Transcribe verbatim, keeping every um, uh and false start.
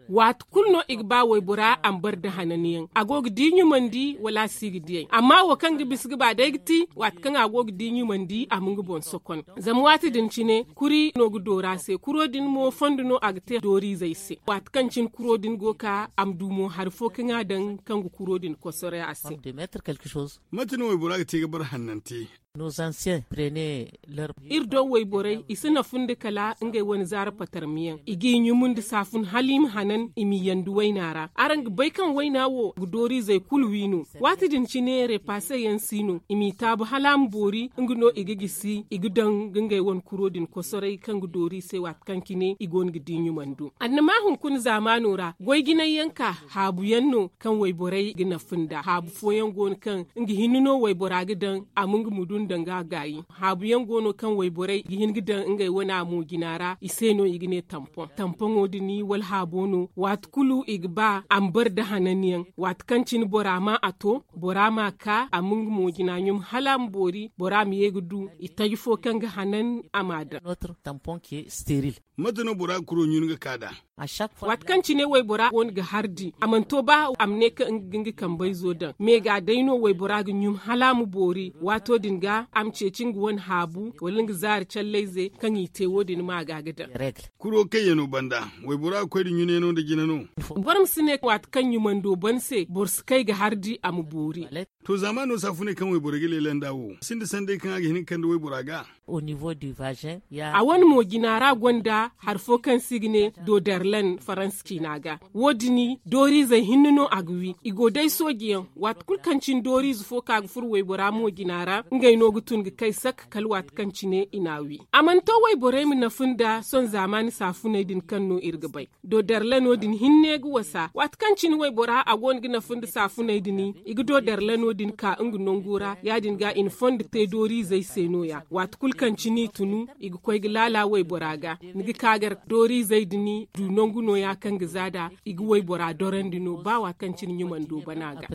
Waati kulu no i ga ba waybora a ma bare nda hananyaŋ a go ga di ɲumandi wala a si ga diyay amma wo kaŋ ga bisa ga ba day ga ti waati kaŋ a go ga di ɲumandi a ma nga boŋ sokon. Zama waati din cine kuri no ga doora se kuro din mo fondo no a ga te dooriizey se waati kaŋ cine kuro din go ga ka a ma du mo hari fo kaŋ a daŋ kaŋ ga kuro din kosoray a se. Mate no waybora ga te ga bare hannante? Iri do wayborey i si nafu nda kala ngey wane zaara patarmiyaŋ i g'i ɲumu nda saafun hala i ma hanan i m'i yandi wayna ra araŋ ga bay kaŋ wayna wo ga dooriizey kulu wi no. Waati din cine repaase yaŋ si no i m'i taabu hala a ma boori nga no i ga gisi i ga daŋ ga ngey wane kuro din kosoray kaŋ ga doori i se waati kaŋ cine i go no ga di ɲumando annama hunkuna zaamaano ra goy jinay yaŋ ka haabu yaŋ no kaŋ wayborey ga nafu nda haabu fooyaŋ go no kaŋ nga hinne no waybora ga daŋ a ma nga mudu nda nga gaayi. Haabu yaŋ go no kaŋ wayborey ga hin ga daŋ ngey wane a mo jina ra i se no i ga ne tampoŋ tampoŋo din wala haabo no waati kulu i ga ba a ma bare nda hanan yaŋ waati kaŋ cine bora ma a to bora ma a ka a ma nga mo jina ɲum hala a ma boori bora ma ye ga du i taji fo kaŋ ga hanan a ma a daŋ. Mate no bora ga kuro ɲun ga ka nd'a? Waati kaŋ cine waybora go no ga hardi a mana to ba a ma ne kaŋ nga ga nga kambayzo daŋ me ga day no waybora ga ɲum hala a ma boori waato din ga a ma ceeci nga wane haabu wala nga zaari callayze kaŋ i te wo- din ma ga ga daŋ. Kuro kayyaŋo banda waybora ga koy nda ɲunayaŋo nda jina no? Boro ma si ne waati kaŋ ɲumando ban se boro si kay ga hardi a ma boori. To zaamaano saafuney kaŋ wayborey ga leela nd'a wo sinda sanday kaŋ a ga hin ga kande waybora ga? A wane mo jina ra gonda hari fo kaŋ se i ga ne dodarlan faransa ciina ga. Wo- din dooriizey hinne no a ga wi i go day sooji yaŋ waati kulu kaŋ cine dooriize fo ka ga furo waybora mo jina ra ngey no ga tun ga kay sak kala waati kaŋ cine i n'a wi. A mana to wayborey ma nafu nda sohõ zaamaani saafuney din kaŋ no iri ga bay. Dodarlano din hinne ga wasa waati kaŋ cine waybora a go no ga nafa nda saafuney din i ga dodarlano din ka nga nango ra ya- din ga i na fondo te dooriizey se no- ya waati kulu kaŋ cine i tunu i ga koy ga laala waybora ga. Ni ga ka gar dooriizey din du nangu no- ya kaŋ ga za nd'a i ga waybora dorandi no ba waati kaŋ cine ɲumando bana ga.